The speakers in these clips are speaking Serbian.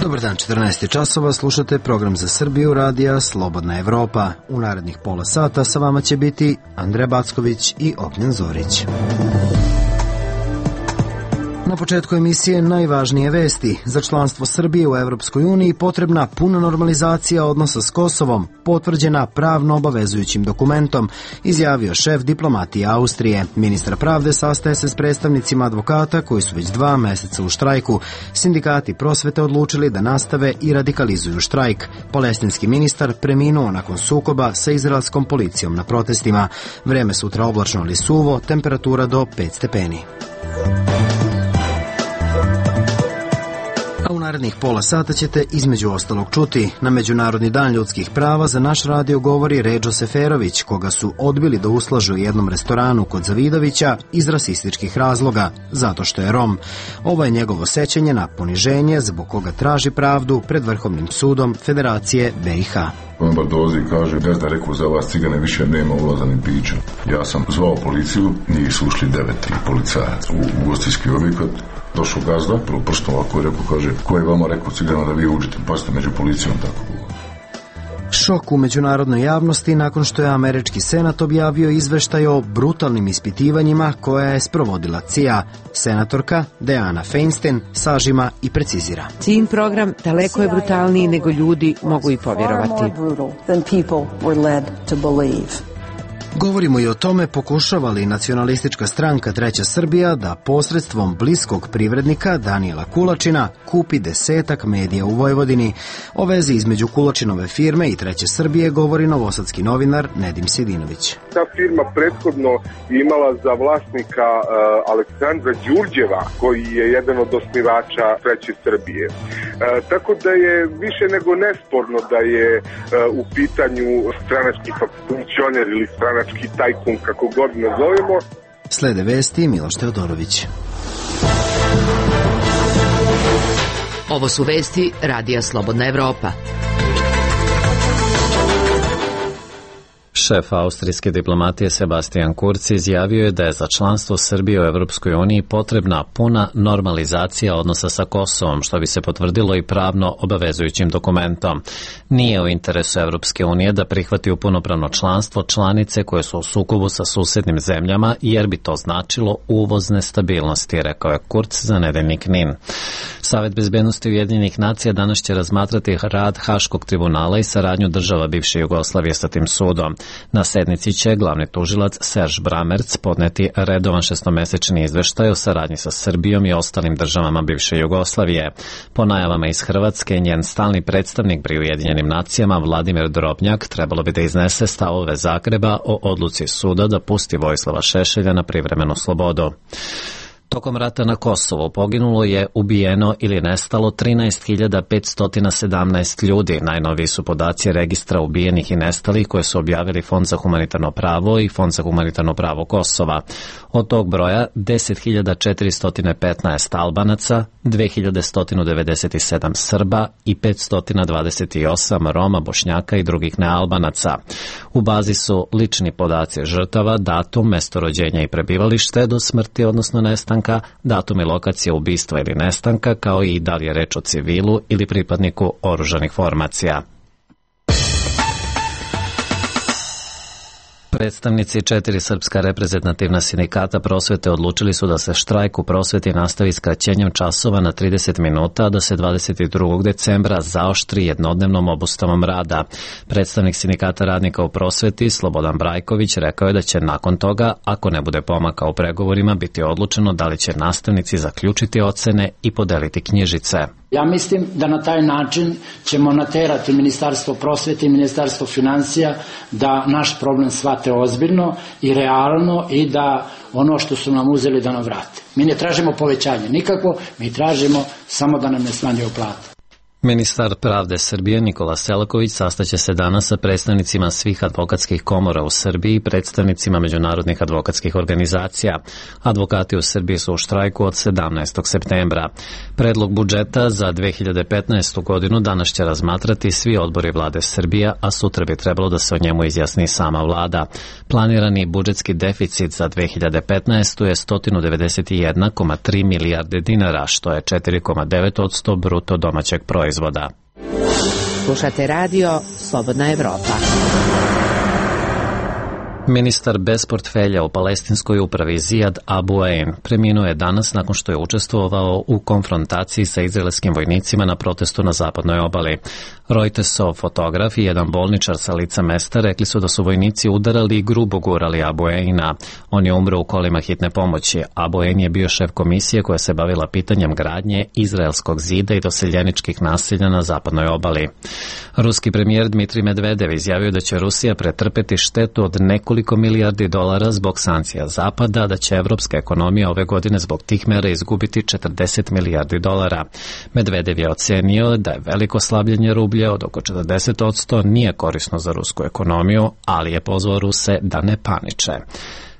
Dobar dan, 14 časova, slušate program za Srbiju radija Slobodna Evropa. U narednih pola sata sa vama će biti Andreja Backović i Ognjen Zorić. Na početku emisije najvažnije vesti. Za članstvo Srbije u Evropskoj uniji potrebna puna normalizacija odnosa s Kosovom, potvrđena pravno obavezujućim dokumentom, izjavio šef diplomatije Austrije. Ministar pravde sastaje se s predstavnicima advokata koji su već 2 meseca u štrajku. Sindikati prosvete odlučili da nastave i radikalizuju štrajk. Palestinski ministar preminuo nakon sukoba sa izraelskom policijom na protestima. Vreme sutra oblačno ali suvo, temperatura do 5 stepeni. U narednih pola sata ćete između ostalog čuti. Na Međunarodni dan ljudskih prava za naš radio govori Redžo Seferović, koga su odbili da uslažu u jednom restoranu kod Zavidovića iz rasističkih razloga, zato što je Rom. Ovo je njegovo sećanje na poniženje zbog koga traži pravdu pred Vrhovnim sudom Federacije BiH. On Bardozi kaže, gazda rekao, za vas cigane više nema ulaza ni pića. Ja sam zvao policiju, njih su ušli 9 policajaca u ugostiteljski objekat. Došao gazda, prvo prstom ovako je rekao, kaže, ko je vama rekao cigana da vi uđete, pa ste među policijom tako govorili. Šok u međunarodnoj javnosti nakon što je američki senat objavio izveštaj o brutalnim ispitivanjima koja je sprovodila CIA. Senatorka Deanna Feinstein sažima i precizira. Ciin program daleko je brutalniji nego ljudi mogu i povjerovati. Govorimo i o tome pokušava li nacionalistička stranka Treća Srbija da posredstvom bliskog privrednika Danijela Kulačina kupi 10 medija u Vojvodini. O vezi između Kulačinove firme i Treće Srbije govori novosadski novinar Nedim Sidinović. Ta firma prethodno imala za vlasnika Aleksandra Đurđeva, koji je jedan od osnivača Treće Srbije. Tako da je više nego nesporno da je u pitanju stranački funkcioner ili stranački tajkun, kako god nazovemo. Slede vesti Miloš Teodorović. Ovo su vesti radija Slobodna Evropa. Šef austrijske diplomatije Sebastian Kurz izjavio je da je za članstvo Srbije u Evropskoj uniji potrebna puna normalizacija odnosa sa Kosovom, što bi se potvrdilo i pravno obavezujućim dokumentom. Nije u interesu Evropske unije da prihvati u punopravno članstvo članice koje su u sukobu sa susednim zemljama, jer bi to značilo uvoz nestabilnosti, rekao je Kurz za nedeljnik NIN. Savet bezbednosti Ujedinjenih nacija danas će razmatrati rad Haškog tribunala i saradnju država bivše Jugoslavije sa tim sudom. Na sednici će glavni tužilac Serž Bramerc podneti redovan 6-mesečni izveštaj o saradnji sa Srbijom i ostalim državama bivše Jugoslavije. Po najavama iz Hrvatske, njen stalni predstavnik pri Ujedinjenim nacijama Vladimir Drobnjak trebalo bi da iznese stavove Zagreba o odluci suda da pusti Vojislava Šešelja na privremenu slobodu. Tokom rata na Kosovu poginulo je, ubijeno ili nestalo 13.517 ljudi. Najnoviji su podaci registra ubijenih i nestalih koje su objavili Fond za humanitarno pravo i Fond za humanitarno pravo Kosova. Od tog broja 10.415 Albanaca, 2.197 Srba i 528 Roma, Bošnjaka i drugih nealbanaca. U bazi su lični podaci žrtava, datum, mesto rođenja i prebivalište do smrti, odnosno nestanka, datum i lokacija ubistva ili nestanka, kao i da li je reč o civilu ili pripadniku oružanih formacija. Predstavnici 4 srpska reprezentativna sindikata prosvete odlučili su da se štrajk u prosveti nastavi skraćenjem časova na 30 minuta, a da se 22. decembra zaoštri jednodnevnom obustavom rada. Predstavnik sindikata radnika u prosveti, Slobodan Brajković, rekao je da će nakon toga, ako ne bude pomaka u pregovorima, biti odlučeno da li će nastavnici zaključiti ocene i podeliti knjižice. Ja mislim da na taj način ćemo naterati Ministarstvo prosvete i Ministarstvo financija da naš problem shvate ozbiljno i realno i da ono što su nam uzeli da nam vrate. Mi ne tražimo povećanje nikako, mi tražimo samo da nam ne smanjuju plate. Ministar pravde Srbije Nikola Selaković sastaće se danas sa predstavnicima svih advokatskih komora u Srbiji i predstavnicima međunarodnih advokatskih organizacija. Advokati u Srbiji su u štrajku od 17. septembra. Predlog budžeta za 2015. godinu danas će razmatrati svi odbori vlade Srbije, a sutra bi trebalo da se o njemu izjasni sama vlada. Planirani budžetski deficit za 2015. je 191,3 milijarde dinara, što je 4,9% bruto domaćeg proizvoda. proizvoda. Slušate radio Slobodna Evropa. Ministar bez portfelja u palestinskoj upravi Zijad Abu Ain preminuo je danas nakon što je učestvovao u konfrontaciji sa izraelskim vojnicima na protestu na zapadnoj obali. Reutersov fotograf i jedan bolničar sa lica mesta rekli su da su vojnici udarali i grubo gurali Abu Aina. On je umro u kolima hitne pomoći. Abu Ain je bio šef komisije koja se bavila pitanjem gradnje izraelskog zida i doseljeničkih naselja na zapadnoj obali. Ruski premijer Dmitrij Medvedev izjavio da će Rusija pretrpeti štetu od nekoliko milijardi dolara zbog sankcija Zapada, da će evropska ekonomija ove godine zbog tih mera izgubiti 40 milijardi dolara. Medvedev je ocenio da je veliko slabljenje rublja od oko 40% nije korisno za rusku ekonomiju, ali je pozvao Ruse da ne paniče.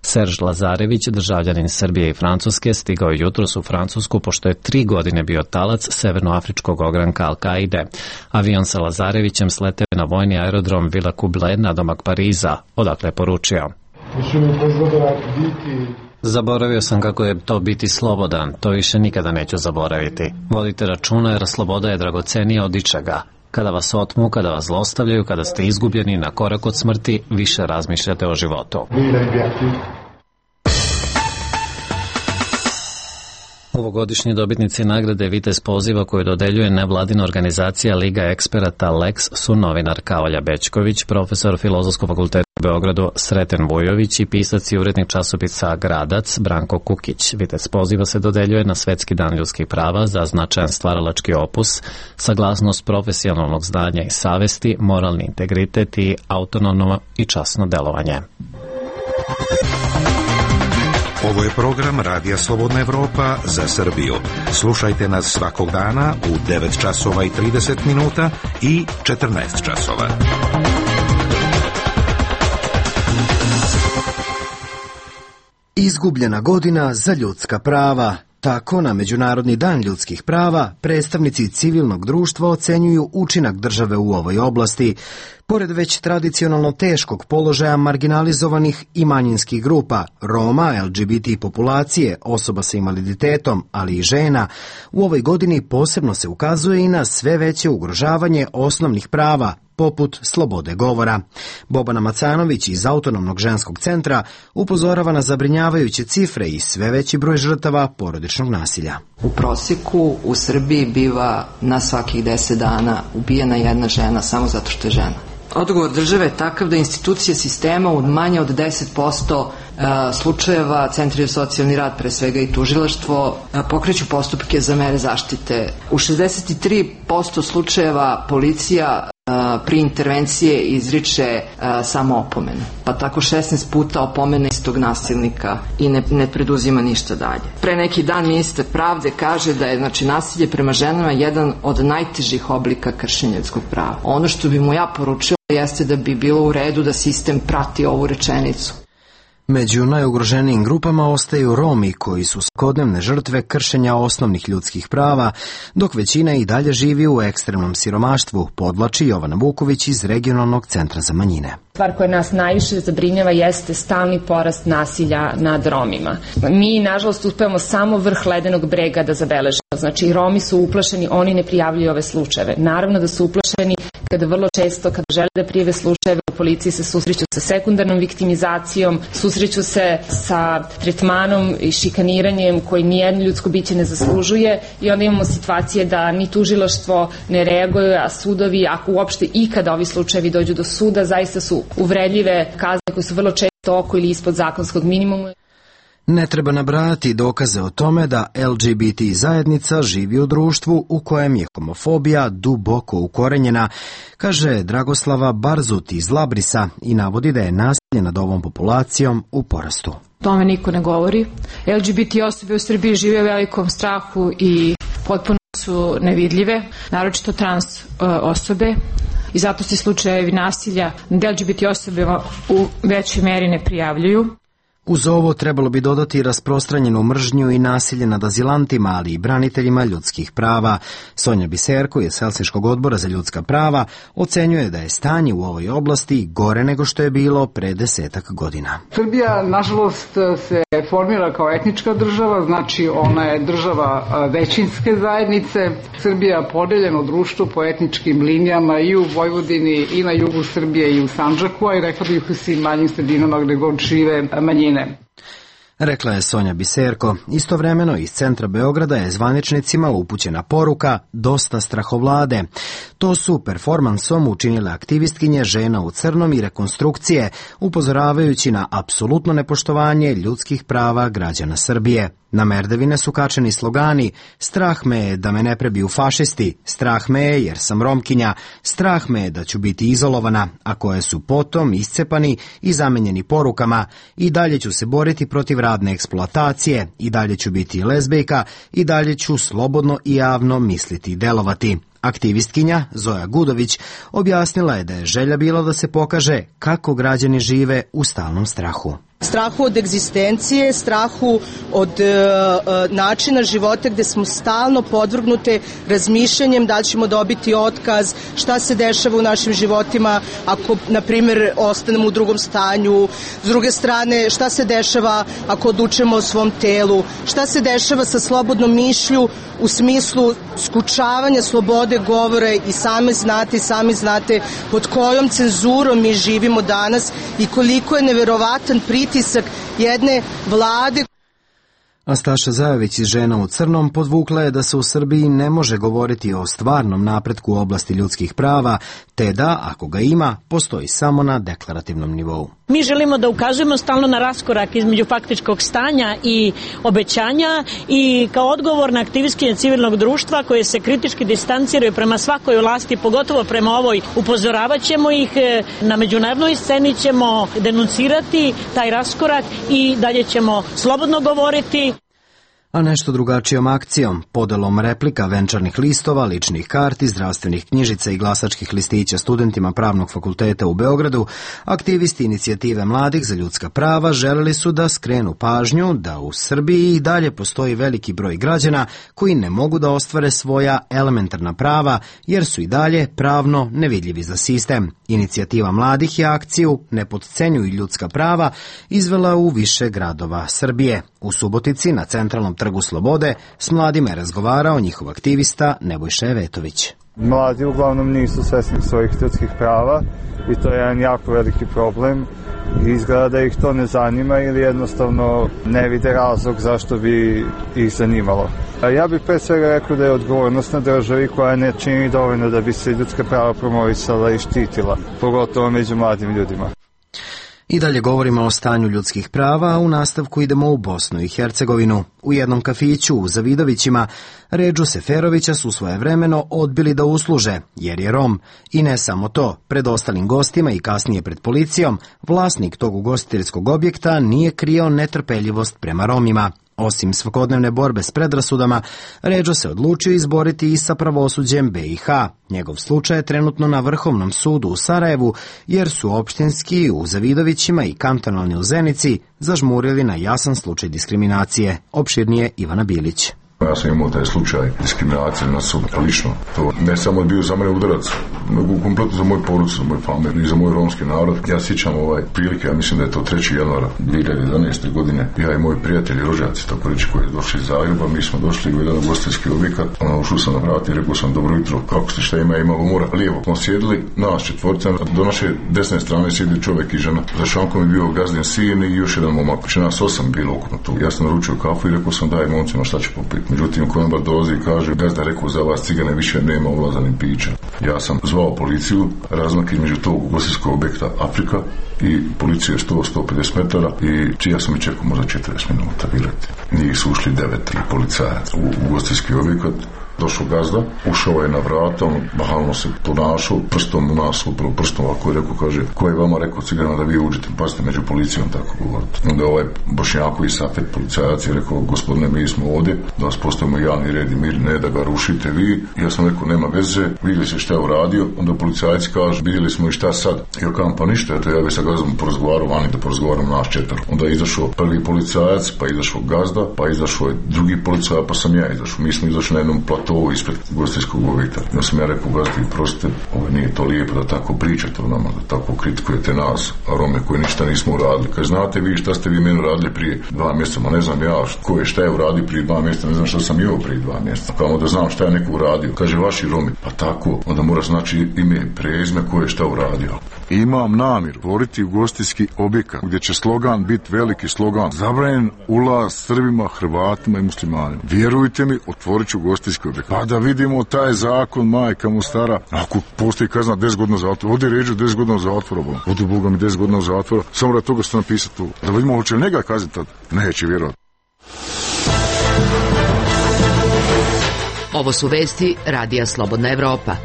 Serž Lazarević, državljanin Srbije i Francuske, stigao jutros u Francusku pošto je 3 godine bio talac severnoafričkog ogranka Al-Kaide. Avion sa Lazarevićem sleteo na vojni aerodrom Villa Couble nadomak Pariza, odakle je poručio: Zaboravio sam kako je to biti slobodan, to više nikada neću zaboraviti. Vodite računa jer sloboda je dragocenija od ičega. Kada vas otmu, kada vas zlostavljaju, kada ste izgubljeni na korak od smrti, više razmišljate o životu. Ovogodišnji dobitnici nagrade Vitez poziva koju dodeljuje nevladina organizacija Liga eksperata Lex su novinarka Olja Bećković, profesor Filozofskog fakulteta u Beogradu Sreten Vujović i pisac i urednik časopisa Gradac Branko Kukić. Vitez poziva se dodeljuje na Svetski dan ljudskih prava za značajan stvaralački opus, saglasnost profesionalnog znanja i savesti, moralni integritet i autonomno i časno delovanje. Ovo je program Radija Slobodna Evropa za Srbiju. Slušajte nas svakog dana u 9 časova i 30 minuta i 14 časova. Izgubljena godina za ljudska prava. Tako, na Međunarodni dan ljudskih prava, predstavnici civilnog društva ocenjuju učinak države u ovoj oblasti. Pored već tradicionalno teškog položaja marginalizovanih i manjinskih grupa, Roma, LGBT populacije, osoba sa invaliditetom, ali i žena, u ovoj godini posebno se ukazuje i na sve veće ugrožavanje osnovnih prava, poput slobode govora. Bobana Macanović iz Autonomnog ženskog centra upozorava na zabrinjavajuće cifre i sve veći broj žrtava porodičnog nasilja. U prosjeku u Srbiji biva na svakih 10 dana ubijena jedna žena samo zato što je žena. Odgovor države je takav da institucije sistema u manje od 10% slučajeva, centri za socijalni rad, pre svega i tužilaštvo, pokreću postupke za mere zaštite. U 63% slučajeva policija pri intervencije izriče samo opomenu, pa tako 16 puta opomene istog nasilnika i ne preduzima ništa dalje. Pre neki dan ministar pravde kaže da je nasilje prema ženama jedan od najtežih oblika kršenja ljudskog prava. Ono što bi mu ja poručila jeste da bi bilo u redu da sistem prati ovu rečenicu. Među najugroženijim grupama ostaju Romi, koji su svakodnevne žrtve kršenja osnovnih ljudskih prava, dok većina i dalje živi u ekstremnom siromaštvu, podvlači Jovana Vuković iz Regionalnog centra za manjine. Stvar koja nas najviše zabrinjava jeste stalni porast nasilja nad Romima. Mi, nažalost, uspevamo samo vrh ledenog brega da zabeležimo. Znači, Romi su uplašeni, oni ne prijavljuju ove slučajeve. Naravno da su uplašeni kada vrlo često, kada žele da prijave slučajeve, u policiji se susreću sa sekundarnom viktimizacijom, susreću se sa tretmanom i šikaniranjem koji nijedno ljudsko biće ne zaslužuje i onda imamo situacije da ni tužilaštvo ne reaguje, a sudovi, ako uopšte ikada ovi slučajevi dođu do suda, zaista su uvredljive kazne koje su vrlo često oko ili ispod zakonskog minimuma. Ne treba nabrajati dokaze o tome da LGBT zajednica živi u društvu u kojem je homofobija duboko ukorenjena, kaže Dragoslava Barzut iz Labrisa i navodi da je nasilje nad ovom populacijom u porastu. Tome niko ne govori. LGBT osobe u Srbiji žive u velikom strahu i potpuno su nevidljive, naročito trans osobe. I zato se slučajevi nasilja nad LGBT osobama u većoj meri ne prijavljuju. Uz ovo trebalo bi dodati rasprostranjenu mržnju i nasilje nad azilantima, ali i braniteljima ljudskih prava. Sonja Biserko iz Helsinškog odbora za ljudska prava ocenjuje da je stanje u ovoj oblasti gore nego što je bilo pre 10 godina. Srbija, nažalost, se formira kao etnička država, znači ona je država većinske zajednice. Srbija podeljeno društvo po etničkim linijama i u Vojvodini i na jugu Srbije i u Sandžaku, a i rekla bih u svim manjim sredinama gde god žive manjine. Rekla je Sonja Biserko. Istovremeno iz centra Beograda je zvaničnicima upućena poruka dosta strahovlade. To su performansom učinile aktivistkinje Žena u crnom i rekonstrukcije, upozoravajući na apsolutno nepoštovanje ljudskih prava građana Srbije. Na merdevine su kačeni slogani strah me je da me ne prebiju fašisti, strah me je jer sam Romkinja, strah me je da ću biti izolovana, a koje su potom iscepani i zamenjeni porukama i dalje ću se boriti protiv radne eksploatacije, i dalje ću biti lezbejka, i dalje ću slobodno i javno misliti i delovati. Aktivistkinja Zoja Gudović objasnila je da je želja bila da se pokaže kako građani žive u stalnom strahu. Strahu od egzistencije, strahu od načina života gde smo stalno podvrgnute razmišljanjem da ćemo dobiti otkaz, šta se dešava u našim životima ako, na primjer, ostanemo u drugom stanju, s druge strane šta se dešava ako odlučujemo o svom telu, šta se dešava sa slobodnom mišlju u smislu skučavanja slobode govora i sami znate pod kojom cenzurom mi živimo danas i koliko je neverovatan pritisak jedne vlade. Astaša Zajović iz Žena u crnom podvukla je da se u Srbiji ne može govoriti o stvarnom napretku u oblasti ljudskih prava, te da, ako ga ima, postoji samo na deklarativnom nivou. Mi želimo da ukazujemo stalno na raskorak između faktičkog stanja i obećanja i kao odgovorna aktivistkinja civilnog društva koje se kritički distanciraju prema svakoj vlasti, pogotovo prema ovoj, upozoravat ćemo ih, na međunarodnoj sceni ćemo denuncirati taj raskorak i dalje ćemo slobodno govoriti. A nešto drugačijom akcijom, podelom replika, venčarnih listova, ličnih karti, zdravstvenih knjižica i glasačkih listića studentima Pravnog fakulteta u Beogradu, aktivisti Inicijative mladih za ljudska prava želeli su da skrenu pažnju da u Srbiji i dalje postoji veliki broj građana koji ne mogu da ostvare svoja elementarna prava jer su i dalje pravno nevidljivi za sistem. Inicijativa mladih je akciju Ne potcenjuj ljudska prava izvela u više gradova Srbije. U Subotici na centralnom Trgu Slobode s mladima je razgovarao njihov aktivista Nebojša Evetović. Mladi uglavnom nisu svesni svojih ljudskih prava i to je jedan jako veliki problem. Izgleda da ih to ne zanima ili jednostavno ne vide razlog zašto bi ih zanimalo. Ja bih pre svega rekao da je odgovornost na državi koja ne čini dovoljno da bi se ljudska prava promovisala i štitila, pogotovo među mladim ljudima. I dalje govorimo o stanju ljudskih prava, a u nastavku idemo u Bosnu i Hercegovinu. U jednom kafiću u Zavidovićima Redžu Seferovića su svojevremeno odbili da usluže, jer je Rom. I ne samo to, pred ostalim gostima i kasnije pred policijom, vlasnik tog ugostiteljskog objekta nije krio netrpeljivost prema Romima. Osim svakodnevne borbe s predrasudama, Redžo se odlučio izboriti i sa pravosuđem BiH. Njegov slučaj je trenutno na Vrhovnom sudu u Sarajevu, jer su opštinski u Zavidovićima i kantonalni u Zenici zažmurili na jasan slučaj diskriminacije. Opširnije Ivana Bilić. Ja sam imao taj slučaj diskriminacije na sud, lično. To ne samo bio za mene udarac, nego kompletno za moju porucu, za moj familiju i za moj romski narod. Ja sjećam prilike, ja mislim da je to 3. januara 2011. godine. Ja i moji prijatelji, rođaci, tako reći, koji je došli iz Zagreba, mi smo došli u jedan ugostiteljski objekat. Ušao sam na vrati i rekao sam dobro jutro, kako ste, šta ima umora. Lijevo smo sjedili, nas četvorca, do naše desne strane sjedi čovjek i žena. Za šankom je bio gazdin sin i još jedan momak. Znači nas 8 bilo ukupno tu. Ja sam naručio kafu i rekao sam daj momcima šta će popiti. Međutim, konobar dolazi i kaže, gazda rekao za vas cigane više nema ulaza ni pića. Ja sam zvao policiju, razmak između tog ugostiteljskog objekta Afrika i policije 100-150 metara i ja sam i čekao možda 40 minuta, vjerujte. Njih su ušli 9 policajaca u ugostiteljski objekat. Došao gazda, ušao je na vrata, on bahalno se ponašao, prstom u nas, upravo prstom ovako je rekao, kaže, ko je vama rekao Ciganima da vi uđete, pazite među policijom, tako govorite. Onda ovaj Bošnjakovi Safet policajac je rekao, gospodine, mi smo ovdje, da vas postavimo javni red i mir, ne da ga rušite vi. Ja sam rekao, nema veze, vidjeli se šta je uradio, onda policajac kaže, vidjeli smo i šta sad. Ja kažem, pa ništa, eto ja bi sa gazdom porazgovarao vani da porazgovaram naš četvr. Onda je izašao prvi policajac, pa je izašao gazda, pa je izašao je drugi policajac, pa sam ja izašao. Mi smo izašli na jednom platovu ispred ugostiteljskog objekta. Ja sam ja rekao, gazdi, prostite, ovo nije to lijepo da tako pričate o nama, da tako kritikujete nas, a Rome koji ništa nismo uradili. Kaže, znate vi šta ste vi meni uradili prije 2 mjeseca, ma ne znam ja ko je šta je uradio prije 2 mjeseca, ne znam šta sam jeo prije 2 mjeseca. Kao da znam šta je neko uradio. Kaže, vaši Romi, pa tako, onda mora znači ime, prezime ko je šta uradio. Imam namjer otvoriti ugostiteljski objekat gdje će slogan biti veliki slogan: zabranjen ulaz Srbima, Hrvatima i muslimanima. Vjerujte mi, otvorit ću ugostiteljski objekat. Pa da vidimo taj zakon, majka mu stara. Ako postoji kazna 10 godina zatvora, ovdje ređu 10 godina zatvora, odu Boga mi 10 godina zatvora, samo da toga što napisati tu. Da vidimo hoće li njega kazniti tad? Neće vjerovati. Ovo su vesti Radija Slobodna Evropa.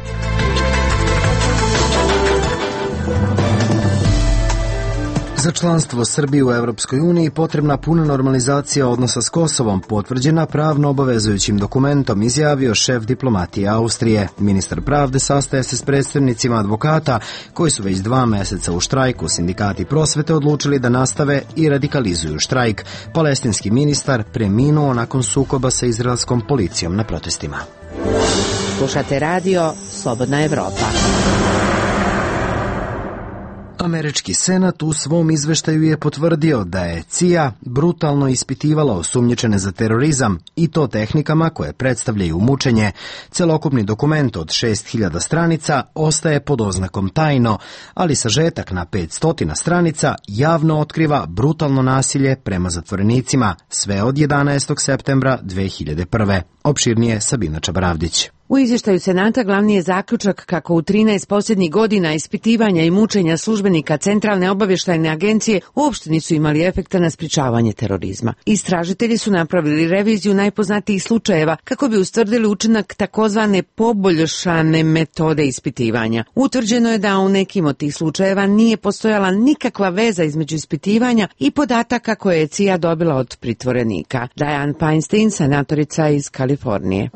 Za članstvo Srbije u Evropskoj uniji potrebna puna normalizacija odnosa s Kosovom, potvrđena pravno obavezujućim dokumentom, izjavio šef diplomatije Austrije. Ministar pravde sastaje se s predstavnicima advokata koji su već 2 meseca u štrajku. Sindikati prosvete odlučili da nastave i radikalizuju štrajk. Palestinski ministar preminuo nakon sukoba sa izraelskom policijom na protestima. Slušate radio Slobodna Evropa. Američki senat u svom izveštaju je potvrdio da je CIA brutalno ispitivala osumnjičene za terorizam i to tehnikama koje predstavljaju mučenje. Celokupni dokument od 6000 stranica ostaje pod oznakom tajno, ali sažetak na 500 stranica javno otkriva brutalno nasilje prema zatvorenicima sve od 11. septembra 2001. Opširnije Sabina Čabravdić. U izvještaju Senata glavni je zaključak kako u 13 posljednjih godina ispitivanja i mučenja službenika Centralne obavještajne agencije uopšte nisu imali efekta na sprječavanje terorizma. Istražitelji su napravili reviziju najpoznatijih slučajeva kako bi ustvrdili učinak takozvane poboljšane metode ispitivanja. Utvrđeno je da u nekim od tih slučajeva nije postojala nikakva veza između ispitivanja i podataka koje je CIA dobila od pritvorenika. Dianne Feinstein, senatorica iz Kalifornije.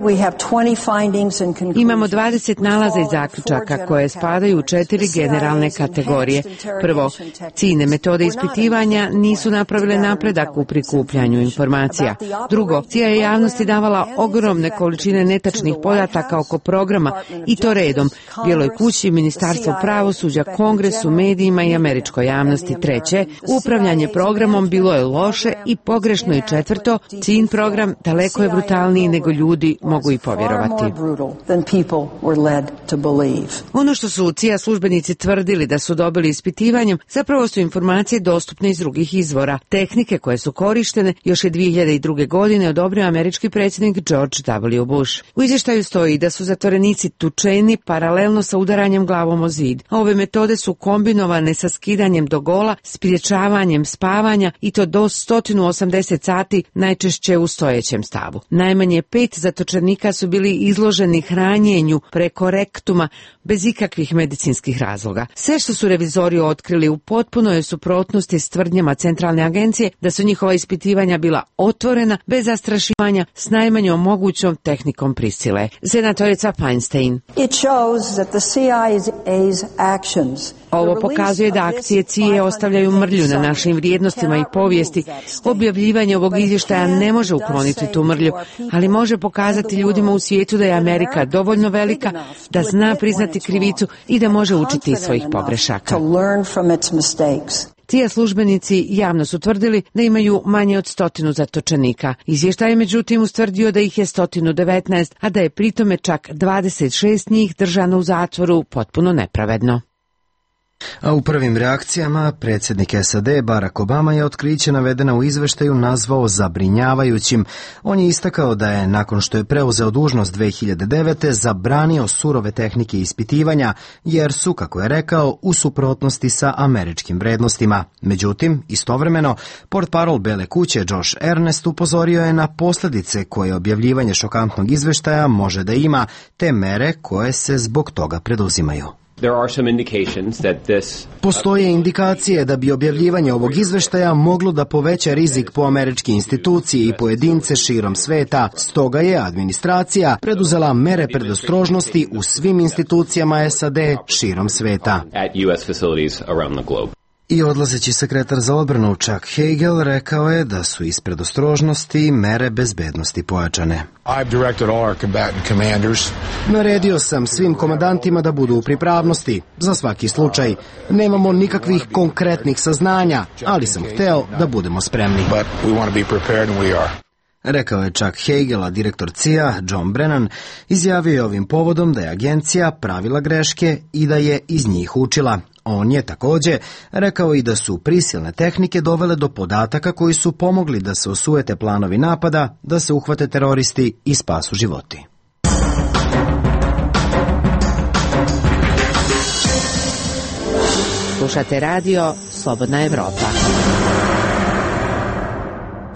Imamo 20 nalaza i zaključaka koje spadaju u 4 generalne kategorije. Prvo, ciljne metode ispitivanja nisu napravile napredak u prikupljanju informacija. Drugo, CIA je javnosti davala ogromne količine netačnih podataka oko programa i to redom, Bijeloj kući, Ministarstvu pravosuđa, Kongresu, medijima i američkoj javnosti. Treće, upravljanje programom bilo je loše i pogrešno. I četvrto, cilj program daleko je brutalniji nego ljudi mogu i povjerovati. Ono što su CIA službenici tvrdili da su dobili ispitivanjem, zapravo su informacije dostupne iz drugih izvora. Tehnike koje su korištene još je 2002. godine odobrio američki predsjednik George W. Bush. U izvještaju stoji da su zatvorenici tučeni paralelno sa udaranjem glavom o zid. Ove metode su kombinovane sa skidanjem do gola, spriječavanjem spavanja i to do 180 sati, najčešće u stojećem stavu. Najmanje 5 zatočenika su bili izloženi hranjenju preko rektuma bez ikakvih medicinskih razloga. Sve što su revizori otkrili u potpunoj je suprotnosti s tvrdnjama Centralne agencije da su njihova ispitivanja bila otvorena, bez zastrašivanja, s najmanjom mogućom tehnikom prisile. Senatorica Feinstein. Ovo pokazuje da akcije CIA ostavljaju mrlju na našim vrijednostima i povijesti. Objavljivanje ovog izvještaja ne može ukloniti tu mrlju, ali može pokazati ljudima u svijetu da je Amerika dovoljno velika da zna priznati krivicu i da može učiti iz svojih pogrešaka. CIA službenici javno su tvrdili da imaju manje od 100 zatočenika. Izvještaj je međutim ustvrdio da ih je 119, a da je pritome čak 26 njih držano u zatvoru potpuno nepravedno. A u prvim reakcijama predsjednik SAD Barack Obama je otkriće navedena u izveštaju nazvao zabrinjavajućim. On je istakao da je, nakon što je preuzeo dužnost 2009. zabranio surove tehnike ispitivanja, jer su, kako je rekao, u suprotnosti sa američkim vrednostima. Međutim, istovremeno, portparol Bele kuće Josh Earnest upozorio je na posljedice koje objavljivanje šokantnog izveštaja može da ima, te mere koje se zbog toga preduzimaju. Postoje indikacije da bi objavljivanje ovog izveštaja moglo da poveća rizik po američke institucije i pojedince širom sveta. Stoga je administracija preduzela mere predostrožnosti u svim institucijama SAD širom sveta. I odlazeći sekretar za odbranu Chuck Hagel rekao je da su iz predostrožnosti mere bezbednosti pojačane. Naredio sam svim komandantima da budu u pripravnosti za svaki slučaj. Nemamo nikakvih konkretnih saznanja, ali sam hteo da budemo spremni. Rekao je Chuck Hagel, a direktor CIA John Brennan izjavio je ovim povodom da je agencija pravila greške i da je iz njih učila. On je također rekao i da su prisilne tehnike dovele do podataka koji su pomogli da se osujete planovi napada, da se uhvate teroristi i spasu životi. Slušate radio Slobodna Evropa.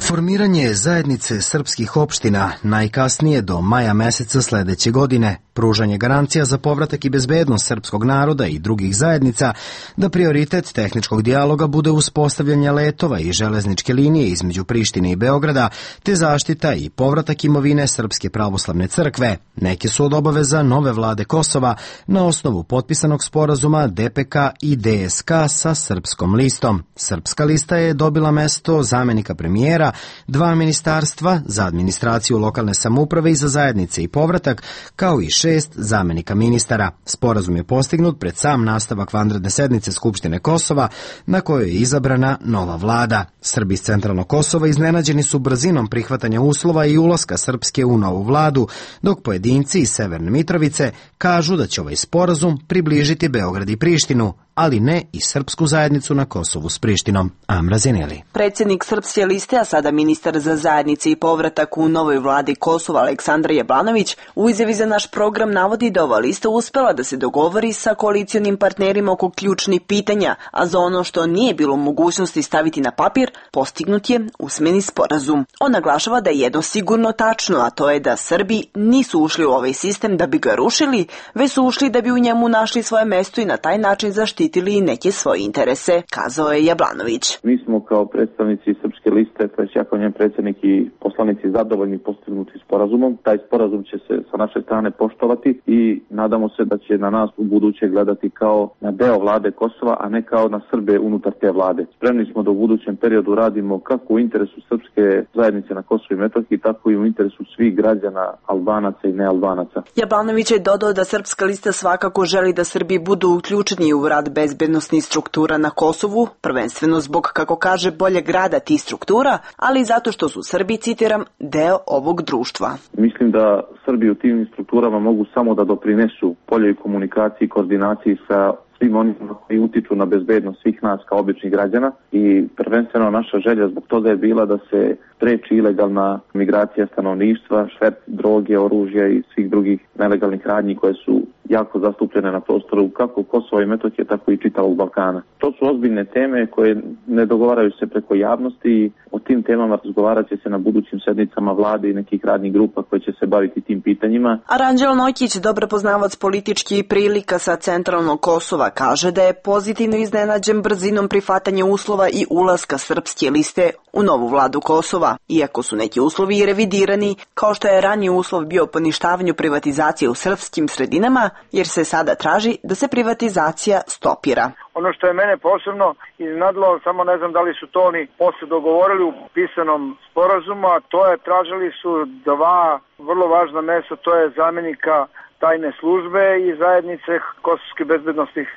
Formiranje zajednice srpskih opština najkasnije do maja meseca sledeće godine, pružanje garancija za povratak i bezbednost srpskog naroda i drugih zajednica, da prioritet tehničkog dijaloga bude uspostavljanje letova i železničke linije između Prištine i Beograda, te zaštita i povratak imovine Srpske pravoslavne crkve, neke su od obaveza nove vlade Kosova na osnovu potpisanog sporazuma DPK i DSK sa Srpskom listom. Srpska lista je dobila mesto zamenika premijera, 2 ministarstva za administraciju lokalne samouprave i za zajednice i povratak, kao i 6 zamenika ministara. Sporazum je postignut pred sam nastavak vanredne sednice Skupštine Kosova, na kojoj je izabrana nova vlada. Srbi iz centralnog Kosova iznenađeni su brzinom prihvatanja uslova i ulaska Srpske u novu vladu, dok pojedinci iz Severne Mitrovice kažu da će ovaj sporazum približiti Beograd i Prištinu, ali ne i srpsku zajednicu na Kosovu s Prištinom. Amra Zeneli. Predsjednik Srpske liste, a sada ministar za zajednice i povratak u novoj vladi Kosova Aleksandar Jablanović, u izjavi za naš program navodi da ova lista uspela da se dogovori sa koalicionim partnerima oko ključnih pitanja, a za ono što nije bilo mogućnosti staviti na papir, postignut je usmeni sporazum. On naglašava da je jedno sigurno tačno, a to je da Srbi nisu ušli u ovaj sistem da bi ga rušili, već su ušli da bi u njemu našli svoje mesto i na taj način zaštitili neke svoje interese, kazao je Jablanović. Mi smo kao predstavnici Srpske liste, to je ja kao njen predsjednik i poslanici zadovoljni postignuti sporazumom. Taj sporazum će se sa naše strane poštovati i nadamo se da će na nas u buduće gledati kao na deo vlade Kosova, a ne kao na Srbe unutar te vlade. Spremni smo da u budućem periodu radimo kako u interesu srpske zajednice na Kosovu i Metohiji, tako i u interesu svih građana, Albanaca i nealbanaca. Jablanović je dodao da Srpska lista svakako želi da Srbi budu uključeni u rad bezbednosnih struktura na Kosovu, prvenstveno zbog, kako kaže, boljeg rada tih struktura, ali i zato što su Srbi, citiram, deo ovog društva. Mislim da Srbi u tim strukturama mogu samo da doprinesu boljoj komunikaciji i koordinaciji sa svim onima koji utiču na bezbednost svih nas kao običnih građana i prvenstveno naša želja zbog toga je bila da se spreči ilegalna migracija stanovništva, šverc droge, oružja i svih drugih nelegalnih radnji koje su jako zastupljene na prostoru kako Kosova i Metohije, tako i čitavog Balkana. To su ozbiljne teme koje ne dogovaraju se preko javnosti i o tim temama razgovarat će se na budućim sednicama vlade i nekih radnih grupa koje će se baviti tim pitanjima. Aranđel Nojkić, dobro poznavac političkih prilika sa centralnog Kosova, kaže da je pozitivno iznenađen brzinom prihvatanja uslova i ulaska Srpske liste u novu vladu Kosova. Iako su neki uslovi i revidirani, kao što je raniji uslov bio poništavanju privatizacije u srpskim sredinama, jer se sada traži da se privatizacija stopira. Ono što je mene posebno iznadlo, samo ne znam da li su to oni posle dogovorili u pisanom sporazumu, a to je tražili su 2 vrlo važna mesta, to je zamjenika tajne službe i zajednice kosovskih bezbednostnih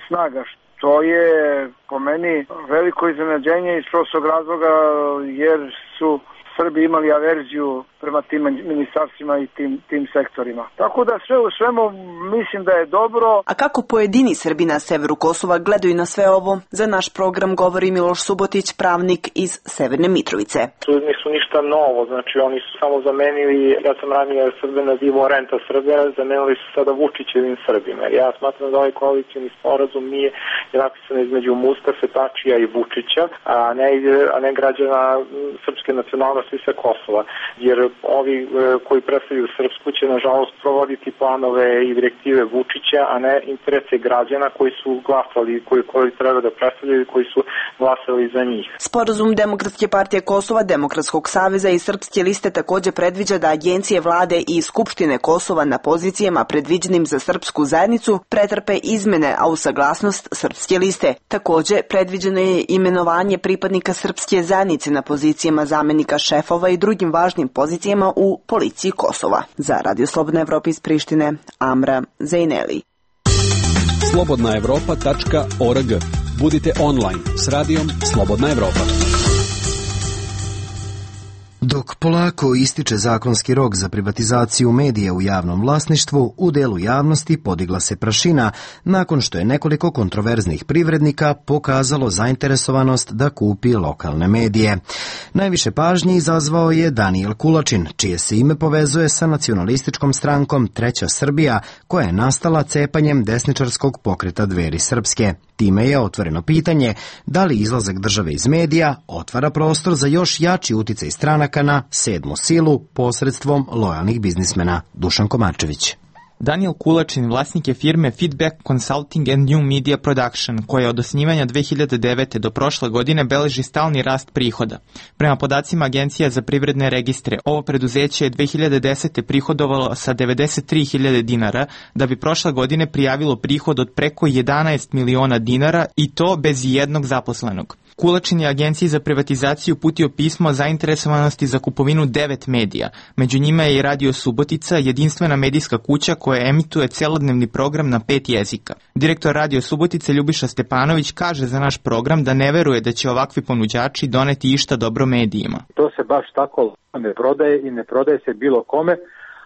snaga. To je po meni veliko iznenađenje iz prostog razloga jer su Srbi imali averziju prema tim ministarstvima i tim sektorima. Tako da sve u svemu mislim da je dobro. A kako pojedini Srbi na severu Kosova gledaju na sve ovo? Za naš program govori Miloš Subotić, pravnik iz Severne Mitrovice. Tu nisu ništa novo, znači oni su samo zamenili, ja sam ranije Srbe nazivao renta Srbe, zamenili su sada Vučićevim Srbima. Ja smatram da ovaj koalicioni sporazum nije napisan između Mustafe, Tačija i Vučića, a ne građana srpske nacionalnosti sa Kosova. Jer ovi koji predstavljaju Srpsku će nažalost provoditi planove i direktive Vučića, a ne interese građana koji su glasali, koji treba da predstavljaju i koji su glasali za njih. Sporazum Demokratske partije Kosova, Demokratskog saveza i Srpske liste takođe predviđa da agencije vlade i Skupštine Kosova na pozicijama predviđenim za srpsku zajednicu pretrpe izmene, a u saglasnost Srpske liste. Takođe, predviđeno je imenovanje pripadnika srpske zajednice na pozicijama zamenika šefova i drugim važnim pozicijama u policiji Kosova. Za Radio Slobodna Evropa iz Prištine, Amra Zejneli. slobodnaevropa.org. Budite online s radijom Slobodna Evropa. Dok polako ističe zakonski rok za privatizaciju medija u javnom vlasništvu, u delu javnosti podigla se prašina nakon što je nekoliko kontroverznih privrednika pokazalo zainteresovanost da kupi lokalne medije. Najviše pažnje izazvao je Danijel Kulačin, čije se ime povezuje sa nacionalističkom strankom Treća Srbija, koja je nastala cepanjem desničarskog pokreta Dveri srpske. Time je otvoreno pitanje da li izlazak države iz medija otvara prostor za još jači uticaj stranaka na sedmu silu posredstvom lojalnih biznismena. Dušan Komarčević. Danijel Kulačin vlasnik je firme Feedback Consulting and New Media Production, koja od osnivanja 2009. do prošle godine beleži stalni rast prihoda. Prema podacima Agencija za privredne registre, ovo preduzeće je 2010. prihodovalo sa 93.000 dinara, da bi prošle godine prijavilo prihod od preko 11 miliona dinara i to bez jednog zaposlenog. Kulačin je Agenciji za privatizaciju uputio pismo o zainteresovanosti za kupovinu 9 medija. Među njima je i Radio Subotica, jedinstvena medijska kuća koja emituje celodnevni program na 5 jezika. Direktor Radio Subotice Ljubiša Stepanović kaže za naš program da ne veruje da će ovakvi ponuđači doneti išta dobro medijima. To se baš tako ne prodaje i ne prodaje se bilo kome,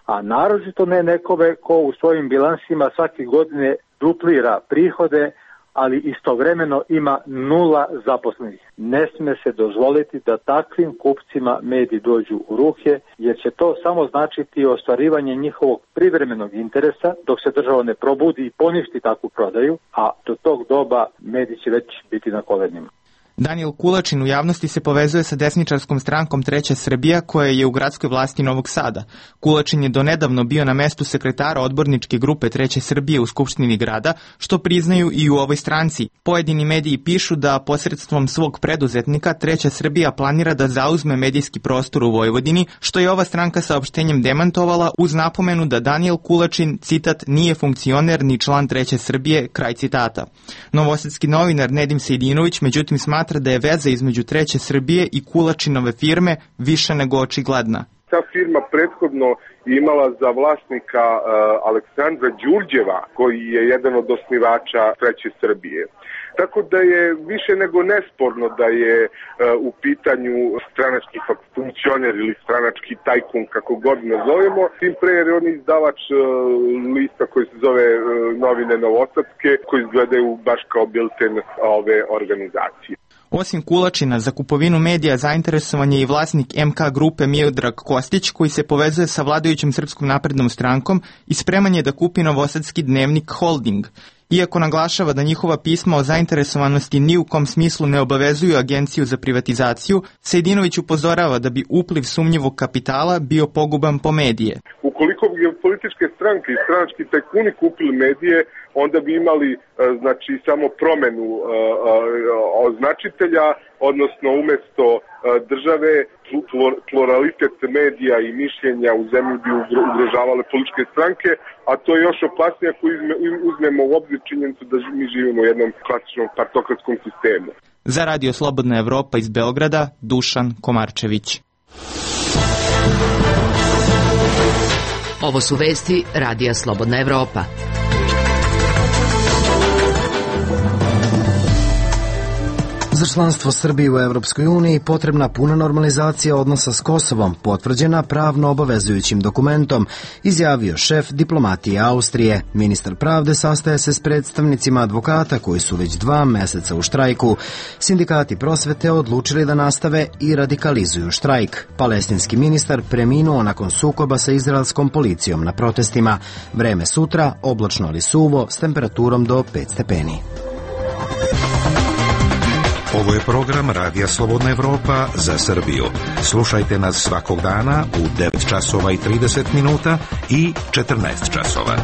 a naročito ne nekome ko u svojim bilansima svake godine duplira prihode, ali istovremeno ima 0 zaposlenih. Ne sme se dozvoliti da takvim kupcima mediji dođu u ruke, jer će to samo značiti ostvarivanje njihovog privremenog interesa dok se država ne probudi i poništi takvu prodaju, a do tog doba mediji će već biti na kolenima. Danijel Kulačin u javnosti se povezuje sa desničarskom strankom Treća Srbija, koja je u gradskoj vlasti Novog Sada. Kulačin je donedavno bio na mestu sekretara odborničke grupe Treće Srbije u Skupštini grada, što priznaju i u ovoj stranci. Pojedini mediji pišu da posredstvom svog preduzetnika Treća Srbija planira da zauzme medijski prostor u Vojvodini, što je ova stranka saopštenjem demantovala uz napomenu da Danijel Kulačin, citat, nije funkcioner ni član Treće Srbije, kraj citata. Novosadski novinar Nedim Sejdinović međutim smatra da je veza između Treće Srbije i Kulačinove firme više nego očigledna. Ta firma prethodno imala za vlasnika Aleksandra Đurđeva, koji je jedan od osnivača Treće Srbije. Tako da je više nego nesporno da je u pitanju stranački funkcioner ili stranački tajkun, kako god nazovemo, tim pre jer je on izdavač lista koji se zove Novine Novosadske, koji izgledaju baš kao bilten ove organizacije. Osim Kulačina, za kupovinu medija zainteresovan je i vlasnik MK grupe Miodrag Kostić, koji se povezuje sa vladajućom Srpskom naprednom strankom i spreman je da kupi novosadski dnevnik Holding. Iako naglašava da njihova pisma o zainteresovanosti ni u kom smislu ne obavezuju Agenciju za privatizaciju, Sejdinović upozorava da bi upliv sumnjivog kapitala bio poguban po medije. Ukoliko bi političke stranke i stranački tajkuni kupili medije, onda bi imali znači samo promenu označitelja, odnosno umesto države pluralitet medija i mišljenja u zemlji bi ugrožavale političke stranke, a to je još opasnije ako uzmemo u obzir činjenicu da mi živimo u jednom klasičnom partokratskom sistemu. Za Radio Slobodna Evropa iz Beograda, Dušan Komarčević. Ovo su vesti Radija Slobodna Evropa. Za članstvo Srbije u Evropskoj uniji potrebna puna normalizacija odnosa s Kosovom, potvrđena pravno obavezujućim dokumentom, izjavio šef diplomatije Austrije. Ministar pravde sastaje se s predstavnicima advokata koji su već 2 meseca u štrajku. Sindikati prosvete odlučili da nastave i radikalizuju štrajk. Palestinski ministar preminuo nakon sukoba sa izraelskom policijom na protestima. Vreme sutra oblačno ali suvo s temperaturom do 5 stepeni. Ovo je program Radija Slobodna Evropa za Srbiju. Slušajte nas svakog dana u 9 časova i 30 minuta i 14 časova.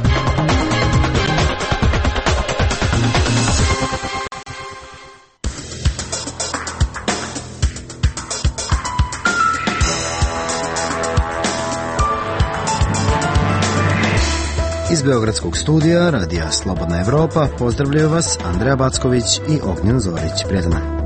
Iz Beogradskog studija Radija Slobodna Evropa pozdravljaju vas Andreja Backović i Ognjen Zorić. Prijatno.